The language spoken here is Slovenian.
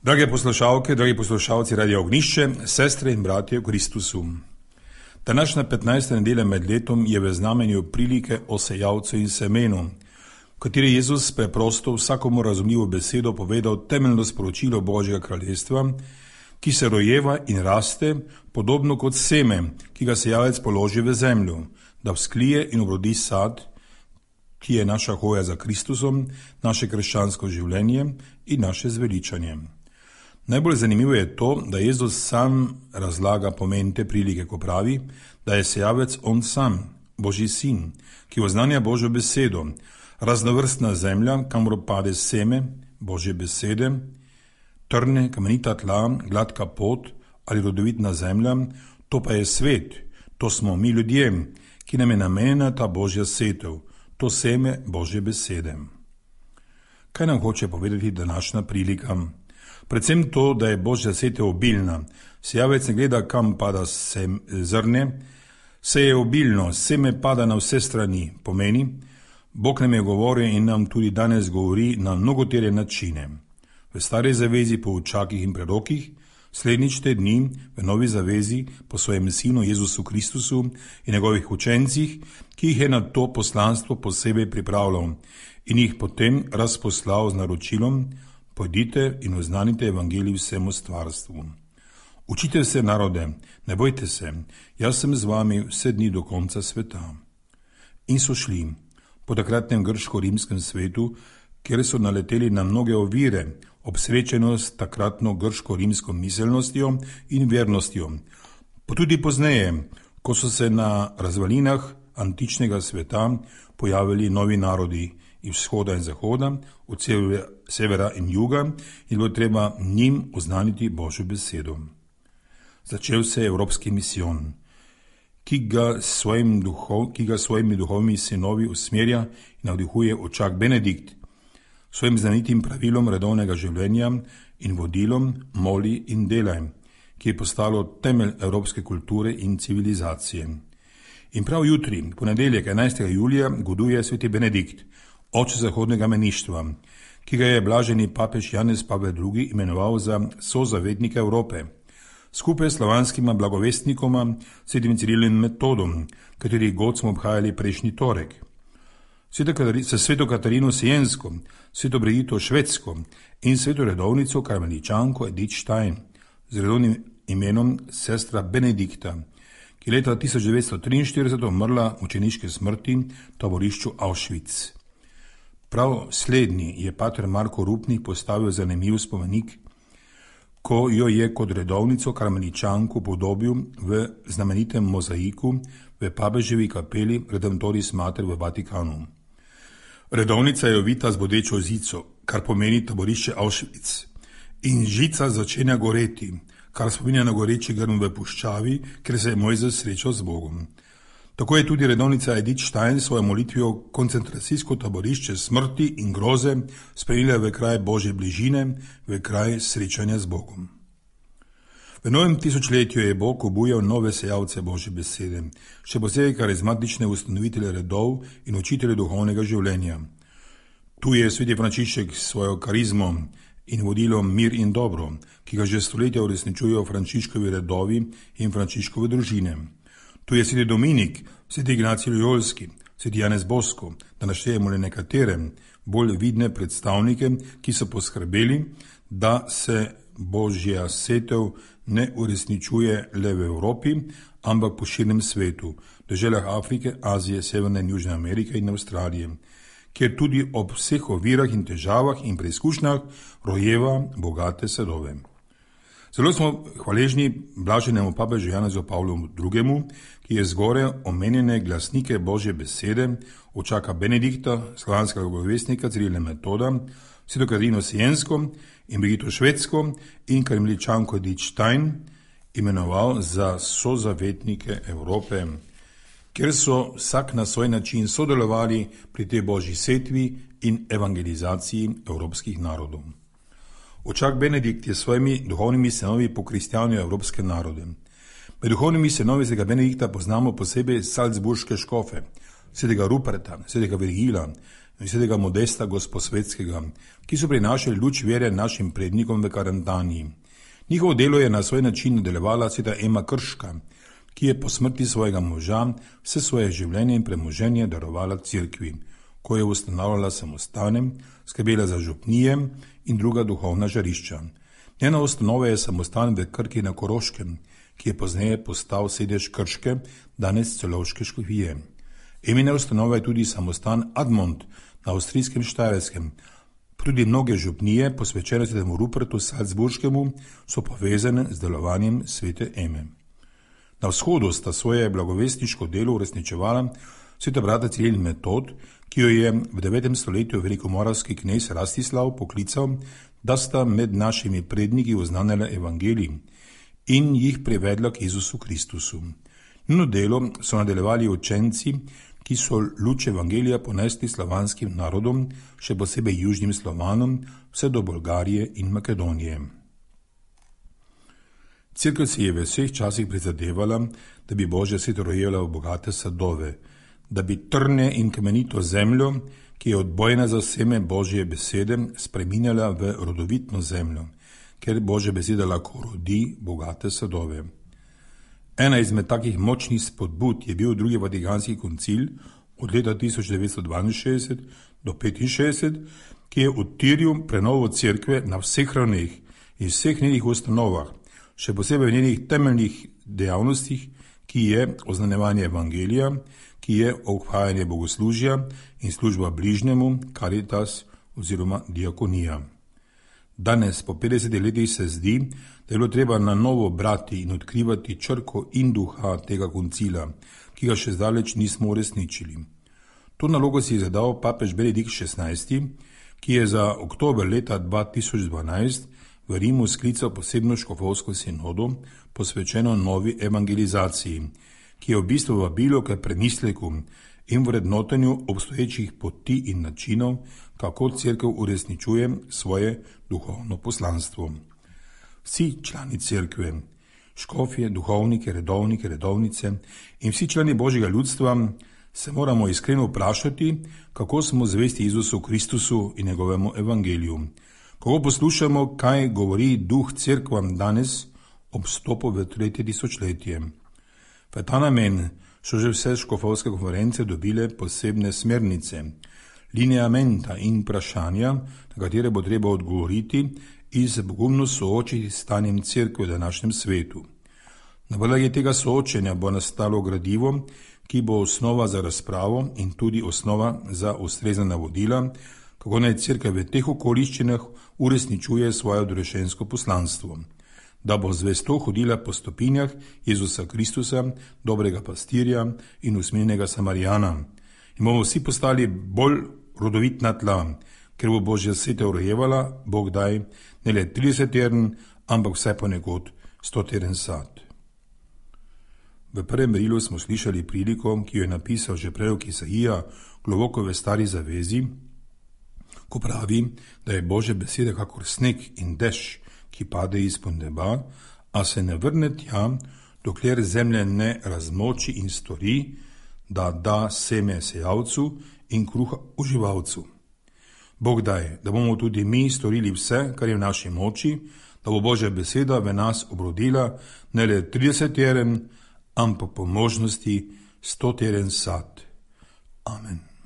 Drage poslušalke, dragi poslušalci Radia Ognišče, sestre in bratje v Kristusu. Današnja 15. nedelja med letom je v znamenju prilike o sejavcu in semenu, v kateri Jezus preprosto vsakomu razumljivo besedo povedal temeljno sporočilo Božjega kraljestva, ki se rojeva in raste, podobno kot seme, ki ga sejavec položi v zemljo, da vzklije in obrodi sad, ki je naša hoja za Kristusom, naše krščansko življenje in naše zveličanje. Najbolj zanimivo je to, da Jezus sam razlaga pomen te prilike, ko pravi, da je sejavec on sam, Božji sin, ki oznanja Božjo besedo, raznovrstna zemlja, kamor pade seme Božje besede, trne, kamenita tla, gladka pot ali rodovitna zemlja, to pa je svet, to smo mi ljudje, ki nam je namenjena ta Božja setev, to seme Božje besede. Kaj nam hoče povedati današnja prilika? Predvsem to, da je Božja setev obilna. Sejavec ne gleda, kam pada zrne, seje obilno, seme pada na vse strani. Pomeni, Bog nam je govoril in nam tudi danes govori na mnogotere načine. V stari zavezi po učakih in prerokih, slednjič te dni v novi zavezi po svojem sinu Jezusu Kristusu in njegovih učencih, ki jih je na to poslanstvo posebej pripravljal in jih potem razposlal z naročilom: pojdite in oznanite evangelij vsemu stvarstvu. Učite se, narode, ne bojte se, jaz sem z vami vse dni do konca sveta. In so šli po takratnem grško-rimskem svetu, kjer so naleteli na mnoge ovire, obsrečeno s takratno grško-rimsko miselnostjo in vernostjo. Pa tudi pozneje, ko so se na razvalinah antičnega sveta pojavili novi narodi iz vzhoda in zahoda, od severa in juga, in bilo treba njim oznaniti Božjo besedo. Začel se je evropski misijon, ki ga svojimi duhovnimi sinovi usmerja in navdihuje očak Benedikt, svojim znanitim pravilom redovnega življenja in vodilom moli in delaj, ki je postalo temelj evropske kulture in civilizacije. In prav jutri, ponedeljek 11. julija, goduje sveti Benedikt, oče zahodnega meništva, ki ga je blaženi papež Janez Pavel II. Imenoval za sozavetnika Evrope, skupaj s slovanskima blagovestnikoma, svetim Cirilom in Metodom, katerih god smo obhajali prejšnji torek, s sveto Katarino Siensko, sveto Brigito Švedsko in sveto redovnico karmeličanko Edith Stein z redovnim imenom sestra Benedikta, ki je leta 1943 umrla mučeniške smrti v taborišču Auschwitz. Prav slednji je pater Marko Rupnik postavil zanimiv spomenik, ko jo je kot redovnico karmeličanko podobil v znamenitem mozaiku v papeževi kapeli Redemptoris Mater v Vatikanu. Redovnica je ovita z bodečo žico, kar pomeni taborišče Auschwitz, in žica začenja goreti, kar spominja na goreči grm v puščavi, ker se je Mojzes srečal z Bogom. Tako je tudi redovnica Edith Stein svojo molitvijo koncentracijsko taborišče smrti in groze spremenila v kraj Božje bližine, v kraj srečanja z Bogom. V novem tisočletju je Bog obujal nove sejavce Božje besede, še posebej karizmatične ustanovitelje redov in učitelje duhovnega življenja. Tu je sveti Frančišek s svojo karizmo in vodilom mir in dobro, ki ga že stoletja uresničujejo Frančiškovi redovi in Frančiškove družine. Tu je sveti Dominik, sveti Ignacij Lojolski, sveti Janez Bosko, da naštejemo le nekatere bolj vidne predstavnike, ki so poskrbeli, da se Božja setev ne uresničuje le v Evropi, ampak po širnem svetu, v deželah Afrike, Azije, Severne in Južne Amerike in Avstralije, kjer tudi ob vseh ovirah in težavah in preizkušnjah rojeva bogate sadove. Zelo smo hvaležni blaženemu papežu Janezu Pavlu II., ki je zgoraj omenjene glasnike Božje besede, očaka Benedikta, slovanskega blagovestnika Cirila in Metoda, sveto Katarino Siensko in Brigito Švedsko in karmeličanko Edith Stein imenoval za sozavetnike Evrope, kjer so vsak na svoj način sodelovali pri tej Božji setvi in evangelizaciji evropskih narodov. Očak Benedikt je svojimi duhovnimi sinovi pokristjanil evropske narode. Med duhovnimi sinovi svetega Benedikta poznamo posebej salzburške škofe, svetega Ruperta, svetega Virgila, in svetega Modesta Gosposvetskega, ki so prinašali luč vere našim prednikom v Karantaniji. Njihovo delo je na svoj način nadaljevala sveta Ema Krška, ki je po smrti svojega moža vse svoje življenje in premoženje darovala Cerkvi, ko je ustanavljala samostane, skrbela za župnije in druga duhovna žarišča. Njena ustanova je samostan v Krki na Koroškem, ki je pozneje postal sedež Krške, danes Celovške škofije. Emina ustanova je tudi samostan Admont na avstrijskem Štajerskem. Tudi mnoge župnije, posvečene svetemu Rupertu Salzburškemu, so povezane z delovanjem svete Eme. Na vzhodu sta svoje blagovestniško delo uresničevala sveta brata Ciril in Metod, ki jo je v 9. stoletju velikomoravski knez Rastislav poklical, da sta med našimi predniki oznanjala evangelij in jih privedla k Jezusu Kristusu. Njuno delo so nadaljevali učenci, ki so luč evangelija ponesli slovanskim narodom, še posebej južnim Slovanom, vse do Bolgarije in Makedonije. Cerkev se je v vseh časih prizadevala, da bi Božja svet rojila v bogate sadove, da bi trne in kamenito zemljo, ki je odbojna za seme Božje besede, spreminjala v rodovitno zemljo, ker Božja beseda lahko rodi bogate sadove. Ena izmed takih močnih spodbud je bil drugi Vatikanski koncil od leta 1962 do 1965, ki je utiril prenovo cerkve na vseh ravneh in vseh njenih ustanovah, še posebej v njenih temeljnih dejavnostih, ki je oznanjevanje evangelija, ki je obhajanje bogoslužja in služba bližnjemu, caritas oziroma diakonija. Danes, po 50 letih, se zdi, da je bilo treba na novo brati in odkrivati črko in duha tega koncila, ki ga še zdaleč nismo uresničili. To nalogo si je zadal papež Benedikt XVI, ki je za oktober leta 2012 v Rimu sklical posebno škofovsko sinodo, posvečeno novi evangelizaciji, ki je v bistvu vabilo k premisleku in vrednotenju obstoječih poti in načinov, kako cerkev uresničuje svoje duhovno poslanstvo. Vsi člani cerkve, škofje, duhovniki, redovniki, redovnice in vsi člani Božjega ljudstva se moramo iskreno vprašati, kako smo zvesti Jezusu Kristusu in njegovemu evangeliju, kako poslušamo, kaj govori duh cerkvam danes ob vstopu v 3. tisočletje. V ta namen so že vse škofovske konference dobile posebne smernice, lineamenta in vprašanja, na katere bo treba odgovoriti in se pogumno soočiti s stanjem cerkve v današnjem svetu. Na podlagi tega soočenja bo nastalo gradivo, ki bo osnova za razpravo in tudi osnova za ustrezna navodila, kako naj cerkev v teh okoliščinah uresničuje svoje odrešensko poslanstvo, da bo zvesto hodila po stopinjah Jezusa Kristusa, dobrega pastirja in usmiljenega Samarijana. In bomo vsi postali bolj rodovitna tla, ker bo Božja setev rojevala, Bog daj, ne le 30 teden, ampak vse ponekod 100 teden sad. V prvem merilu smo slišali priliko, ki jo je napisal že prorok Isaija globoko v Stari zavezi, ko pravi, da je Božja beseda kakor sneg in dež, ki pade izpod neba, a se ne vrne tja, dokler zemlja ne razmoči in stori, da da seme sejavcu in kruha uživalcu. Bog daj, da bomo tudi mi storili vse, kar je v naši moči, da bo Božja beseda v nas obrodila ne le 30 teden, ampak po možnosti 100 teden sad. Amen.